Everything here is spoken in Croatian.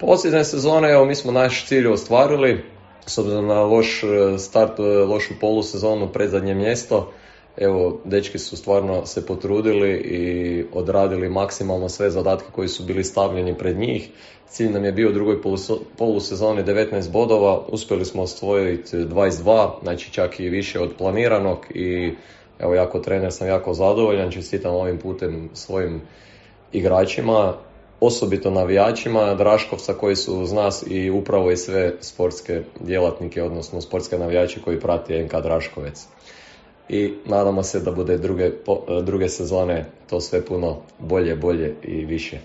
Posljednje sezone, evo, mi smo naš cilj ostvarili, s obzirom na loš start, lošu polusezonu, predzadnje mjesto. Evo, dečki su stvarno se potrudili i odradili maksimalno sve zadatke koji su bili stavljeni pred njih. Cilj nam je bio u drugoj polusezoni 19 bodova, uspjeli smo osvojiti 22, znači čak i više od planiranog i evo, jako trener sam jako zadovoljan, čestitam ovim putem svojim igračima, osobito navijačima Draškovca koji su uz nas i upravo i sve sportske djelatnike, odnosno sportske navijače koji prati NK Draškovec. I nadamo se da bude druge sezone to sve puno bolje i više.